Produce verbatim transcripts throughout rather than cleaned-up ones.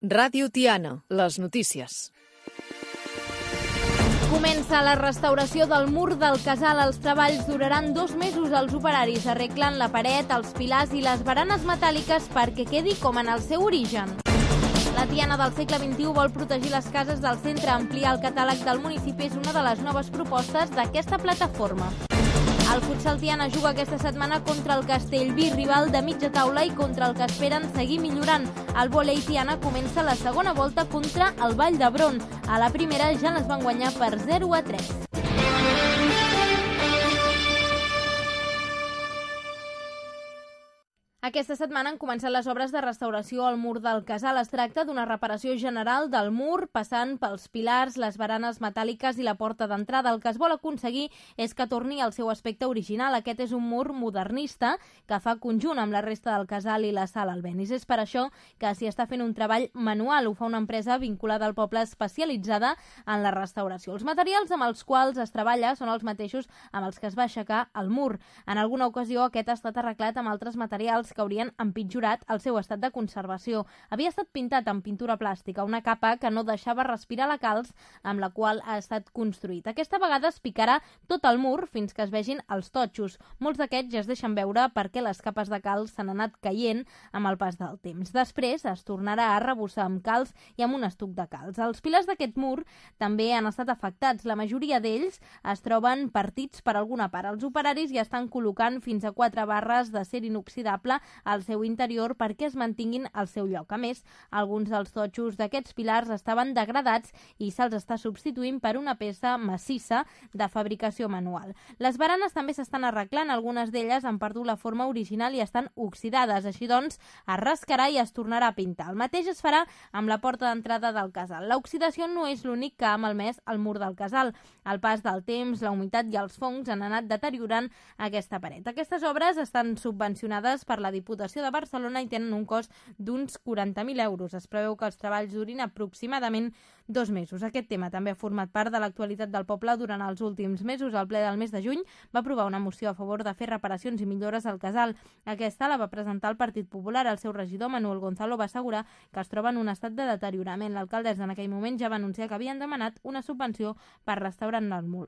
Ràdio Tiana, les notícies. Comença la restauració del mur del casal. Els treballs duraran dos mesos. Els operaris arreglen la paret, els pilars i les baranes metàl·liques perquè quedi com en el seu origen. La Tiana del segle vint-i-u vol protegir les cases del centre. Ampliar el catàleg del municipi és una de les noves propostes d'aquesta plataforma. El futsal Tiana juga aquesta setmana contra el Castellví, rival de mitja taula i contra el que esperen seguir millorant. El vòlei Tiana comença la segona volta contra el Vall d'Hebron. A la primera ja les van guanyar per zero a tres. Aquesta setmana han començat les obres de restauració al mur del casal. Es tracta d'una reparació general del mur, passant pels pilars, les baranes metàl·liques i la porta d'entrada. El que es vol aconseguir és que torni al seu aspecte original. Aquest és un mur modernista que fa conjunt amb la resta del casal i la sala Albéniz. És per això que s'hi està fent un treball manual. Ho fa una empresa vinculada al poble especialitzada en la restauració. Els materials amb els quals es treballa són els mateixos amb els que es va aixecar el mur. En alguna ocasió aquest ha estat arreglat amb altres materials que haurien empitjorat el seu estat de conservació. Havia estat pintat amb pintura plàstica, una capa que no deixava respirar la calç amb la qual ha estat construït. Aquesta vegada es picarà tot el mur fins que es vegin els totxos. Molts d'aquests ja es deixen veure perquè les capes de calç s'han anat caient amb el pas del temps. Després es tornarà a arrebossar amb calç i amb un estuc de calç. Els pilars d'aquest mur també han estat afectats. La majoria d'ells es troben partits per alguna part. Els operaris ja estan col·locant fins a quatre barres d'acer inoxidable al seu interior perquè es mantinguin al seu lloc. A més, alguns dels totxos d'aquests pilars estaven degradats i se'ls està substituint per una peça massissa de fabricació manual. Les baranes també s'estan arreglant, algunes d'elles han perdut la forma original i estan oxidades. Així doncs, es rascarà i es tornarà a pintar. El mateix es farà amb la porta d'entrada del casal. L'oxidació no és l'únic que ha malmès el mur del casal. El pas del temps, la humitat i els fongs han anat deteriorant aquesta paret. Aquestes obres estan subvencionades per la Diputació de Barcelona i tenen un cost d'uns quaranta mil euros. Es preveu que els treballs durin aproximadament dos mesos. Aquest tema també ha format part de l'actualitat del poble durant els últims mesos. El ple del mes de juny va aprovar una moció a favor de fer reparacions i millores al casal. Aquesta la va presentar el Partit Popular. El seu regidor, Manuel Gonzalo, va assegurar que es troba en un estat de deteriorament. L'alcaldessa en aquell moment ja va anunciar que havien demanat una subvenció per restaurar el mur.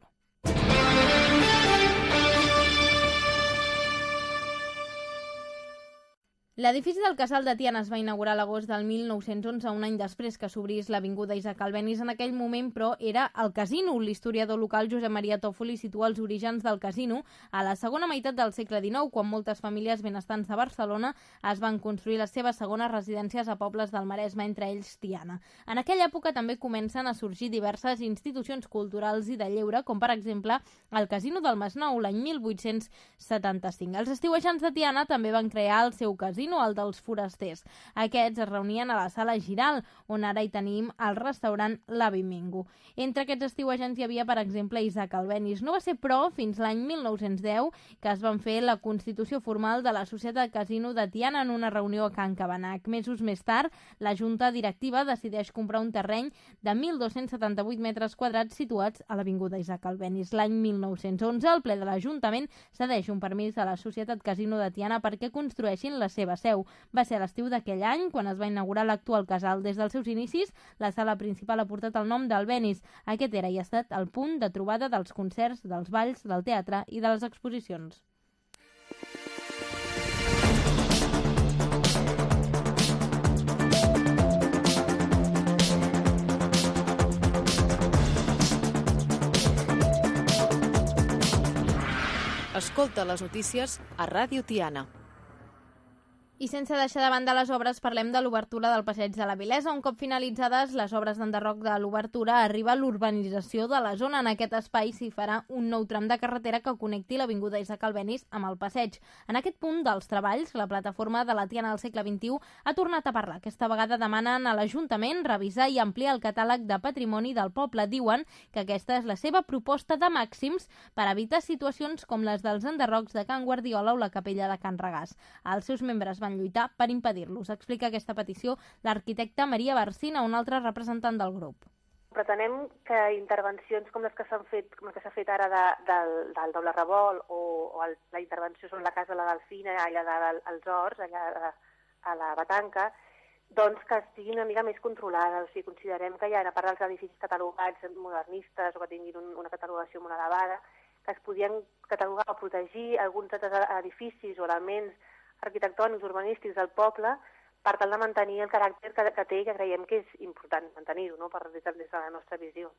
L'edifici del Casal de Tiana es va inaugurar a l'agost del mil nou-cents onze, un any després que s'obrís l'avinguda Isaac Albéniz. En aquell moment, però, era el casino. L'historiador local Josep Maria Tòfoli situa els orígens del casino a la segona meitat del segle dinou, quan moltes famílies benestants de Barcelona es van construir les seves segones residències a pobles del Maresme, entre ells Tiana. En aquella època també comencen a sorgir diverses institucions culturals i de lleure, com per exemple el Casino del Masnou, l'any mil vuit-cents setanta-cinc. Els estiuejants de Tiana també van crear el seu casino, el dels forasters. Aquests es reunien a la sala Giral, on ara hi tenim el restaurant l'Avi Mingo. Entre aquests estiuejants hi havia, per exemple, Isaac Albéniz. No va ser, però, fins l'any mil nou-cents deu que es van fer la constitució formal de la Societat Casino de Tiana en una reunió a Can Cabanac. Mesos més tard, la Junta Directiva decideix comprar un terreny de mil dos-cents setanta-vuit metres quadrats situats a l'avinguda Isaac Albéniz. L'any mil nou-cents onze, el ple de l'Ajuntament cedeix un permís a la Societat Casino de Tiana perquè construeixin la seva seu. Va ser a l'estiu d'aquell any quan es va inaugurar l'actual casal. Des dels seus inicis, la sala principal ha portat el nom d'Albéniz. Aquest era i ha estat el punt de trobada dels concerts, dels balls, del teatre i de les exposicions. Escolta les notícies a Ràdio Tiana. I sense deixar de banda les obres, parlem de l'obertura del Passeig de la Vilesa. Un cop finalitzades les obres d'enderroc de l'obertura, arriba l'urbanització de la zona. En aquest espai s'hi farà un nou tram de carretera que connecti l'avinguda Isaac Albéniz amb el passeig. En aquest punt dels treballs, la plataforma de la Tiana del segle vint-i-u ha tornat a parlar. Aquesta vegada demanen a l'Ajuntament revisar i ampliar el catàleg de patrimoni del poble. Diuen que aquesta és la seva proposta de màxims per evitar situacions com les dels enderrocs de Can Guardiola o la capella de Can Regàs. Els seus membres van lluitar per impedir-los. Explica aquesta petició l'arquitecta Maria Barcina, un altre representant del grup. Pretenem que intervencions com les que s'han fet, com les que s'ha fet ara de, del, del doble revolt o, o el, la intervenció sobre la casa de la Delfina, allà de, als Horts, allà a, a la Batanca, doncs que estiguin una mica més controlades. O sigui, considerem que hi ha, a part dels edificis catalogats modernistes o que tinguin un, una catalogació molt elevada, que es podien catalogar o protegir alguns altres edificis o elements arquitectònics, urbanístics del poble per tal de mantenir el caràcter que, que té i que creiem que és important mantenir-ho, no?, per, des, des de la nostra visió.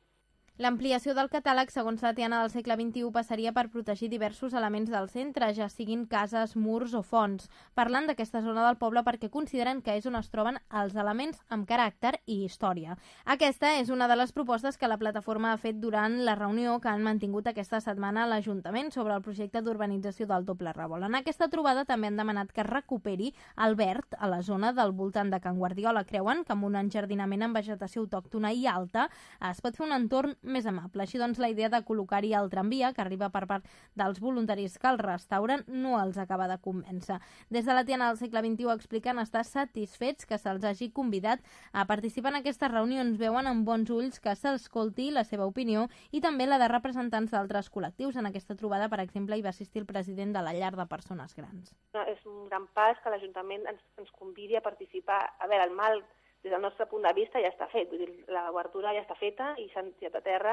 L'ampliació del catàleg, segons la Tiana del segle vint-i-u, passaria per protegir diversos elements del centre, ja siguin cases, murs o fonts. Parlant d'aquesta zona del poble perquè consideren que és on es troben els elements amb caràcter i història. Aquesta és una de les propostes que la plataforma ha fet durant la reunió que han mantingut aquesta setmana a l'Ajuntament sobre el projecte d'urbanització del Doble Revolt. En aquesta trobada també han demanat que es recuperi el verd a la zona del voltant de Can Guardiola. Creuen que amb un enjardinament amb vegetació autòctona i alta es pot fer un entorn més amable. Així doncs, la idea de col·locar-hi el tramvia, que arriba per part dels voluntaris que el restauren, no els acaba de convèncer. Des de la Tiana del segle vint-i-u expliquen estar satisfets que se'ls hagi convidat a participar en aquestes reunions. Veuen amb bons ulls que s'escolti la seva opinió i també la de representants d'altres col·lectius. En aquesta trobada, per exemple, hi va assistir el president de la llar de persones grans. És un gran pas que l'Ajuntament ens, ens convidi a participar. A veure, el mal des del nostre punt de vista ja està fet, vull dir, l'obertura ja està feta i s'han tirat a terra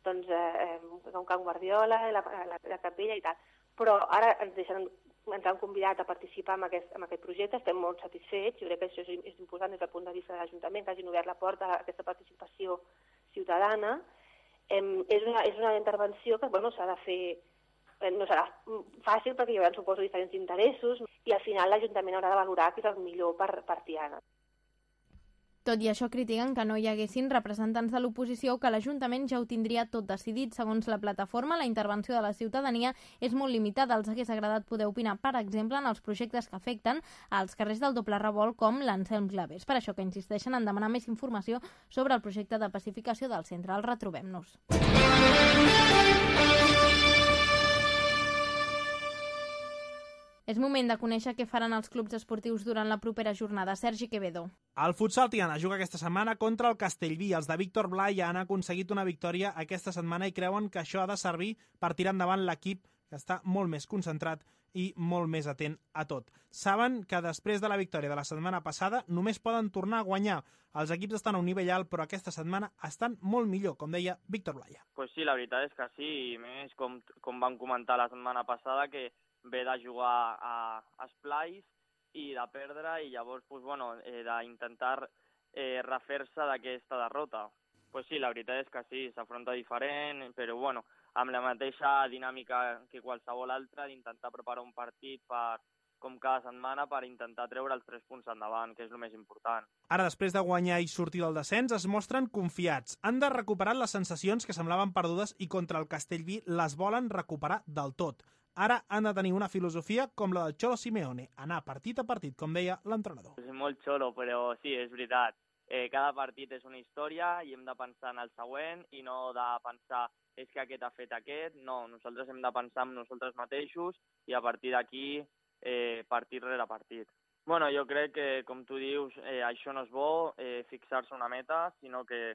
doncs, eh, un Can Guardiola, la, la, la capella i tal. Però ara ens, deixen, ens han convidat a participar en aquest, en aquest projecte, estem molt satisfets, jo crec que això és, és important des del punt de vista de l'Ajuntament, que hagin obert la porta a aquesta participació ciutadana. Eh, és, una, és una intervenció que bueno, s'ha de fer, eh, no serà fàcil perquè hi haurà, suposo, diferents interessos i al final l'Ajuntament haurà de valorar què és el millor per, per Tiana. Tot i això, critiquen que no hi haguessin representants de l'oposició o que l'Ajuntament ja ho tindria tot decidit. Segons la plataforma, la intervenció de la ciutadania és molt limitada. Els hagués agradat poder opinar, per exemple, en els projectes que afecten als carrers del Doble Revolt com l'Anselm Clavers. Per això que insisteixen en demanar més informació sobre el projecte de pacificació del centre. El retrobem-nos. És moment de conèixer què faran els clubs esportius durant la propera jornada. Sergi Quevedo. El futsal Tiana juga aquesta setmana contra el Castellví. Els de Víctor Blai han aconseguit una victòria aquesta setmana i creuen que això ha de servir per tirar endavant l'equip, que està molt més concentrat i molt més atent a tot. Saben que després de la victòria de la setmana passada només poden tornar a guanyar. Els equips estan a un nivell alt, però aquesta setmana estan molt millor, com deia Víctor Blai. Pues sí, la veritat és que sí, i més com, com van comentar la setmana passada, que ve de jugar a, a Esplais i de perdre i llavors pues, bueno, eh, d'intentar eh, refer-se d'aquesta derrota. Pues sí, la veritat és que sí, s'afronta diferent, però bueno, amb la mateixa dinàmica que qualsevol altra, d'intentar preparar un partit per, com cada setmana per intentar treure els tres punts endavant, que és el més important. Ara, després de guanyar i sortir del descens, es mostren confiats. Han de recuperar les sensacions que semblaven perdudes i contra el Castellví les volen recuperar del tot. Ara han de tenir una filosofia com la del Cholo Simeone, anar partit a partit, com deia l'entrenador. És molt xolo, però sí, és veritat. Eh, cada partit és una història i hem de pensar en el següent i no de pensar és que aquest ha fet aquest. No, nosaltres hem de pensar en nosaltres mateixos i a partir d'aquí eh, partit rere partit. Bueno, jo crec que, com tu dius, eh, això no és bo, eh, fixar-se una meta, sinó que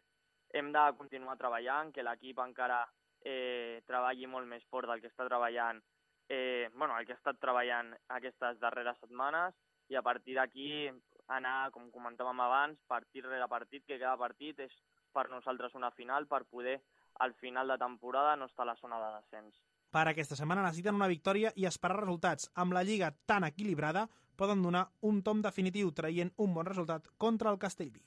hem de continuar treballant, que l'equip encara eh, treballi molt més fort del que està treballant Eh, bueno, el que ha estat treballant aquestes darreres setmanes i a partir d'aquí anar, com comentàvem abans, partit rere partit, que cada partit és per nosaltres una final per poder al final de temporada no estar a la zona de descens. Per aquesta setmana necessiten una victòria i esperar resultats. Amb la lliga tan equilibrada poden donar un tom definitiu traient un bon resultat contra el Castellví.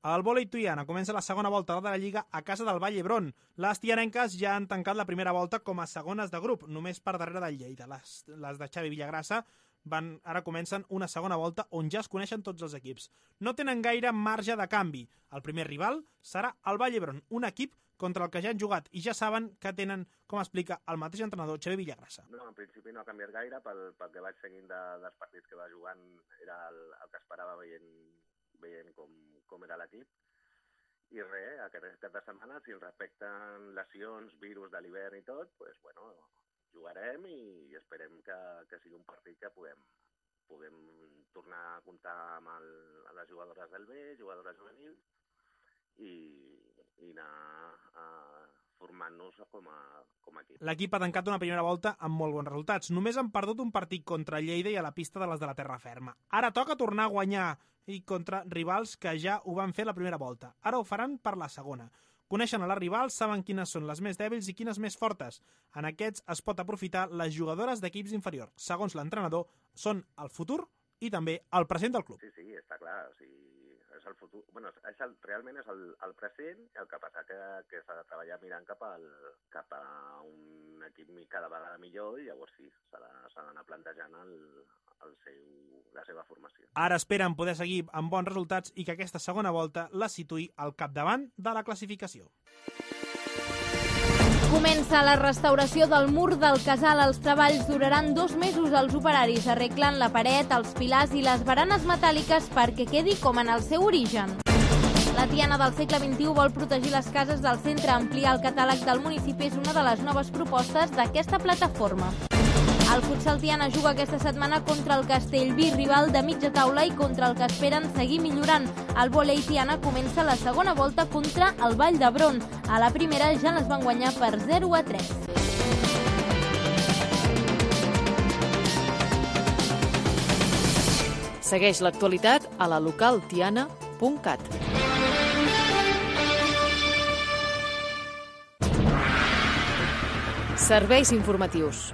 El vòlei Tiana comença la segona volta de la Lliga a casa del Vall d'Hebron. Les tianenques ja han tancat la primera volta com a segones de grup, només per darrere del Lleida. Les, les de Xavi Villagrassa van, ara comencen una segona volta on ja es coneixen tots els equips. No tenen gaire marge de canvi. El primer rival serà el Vall d'Hebron, un equip contra el que ja han jugat i ja saben que tenen, com explica el mateix entrenador Xavi Villagrassa. No, en principi no ha canviat gaire, pel, pel que vaig seguint de, dels partits que va jugant era el, el que esperava veient veient com, com era l'equip. I res, aquest cap de setmana, si ens respecten lesions, virus de l'hivern i tot, pues, bueno, jugarem i esperem que, que sigui un partit que puguem, puguem tornar a comptar amb, el, amb les jugadores del B, jugadores juvenils, i, i anar a formant-nos com a, com a equip. L'equip ha tancat una primera volta amb molt bons resultats. Només han perdut un partit contra Lleida i a la pista de les de la terra ferma. Ara toca tornar a guanyar i contra rivals que ja ho van fer la primera volta. Ara ho faran per la segona. Coneixen a les rivals, saben quines són les més dèbils i quines més fortes. En aquests es pot aprofitar les jugadores d'equips inferiors. Segons l'entrenador, són el futur i també el present del club. Sí, sí, està clar. O sigui, és el futur. Bueno, és el, realment és el, el present, el que passa que, que s'ha de treballar mirant cap, al, cap a un equip cada vegada millor i llavors sí, s'ha d'anar plantejant el, el seu, la seva formació. Ara esperen poder seguir amb bons resultats i que aquesta segona volta la situï al capdavant de la classificació. Comença la restauració del mur del casal. Els treballs duraran dos mesos. Els operaris arreglen la paret, els pilars i les baranes metàl·liques perquè quedi com en el seu origen. La Tiana del segle vint-i-u vol protegir les cases del centre. Ampliar el catàleg del municipi és una de les noves propostes d'aquesta plataforma. El futsal Tiana juga aquesta setmana contra el Castellví, rival de mitja taula i contra el que esperen seguir millorant. El vòlei Tiana comença la segona volta contra el Vall d'Hebron. A la primera ja les van guanyar per zero a tres. Segueix l'actualitat a la local tiana punt cat. Serveis informatius.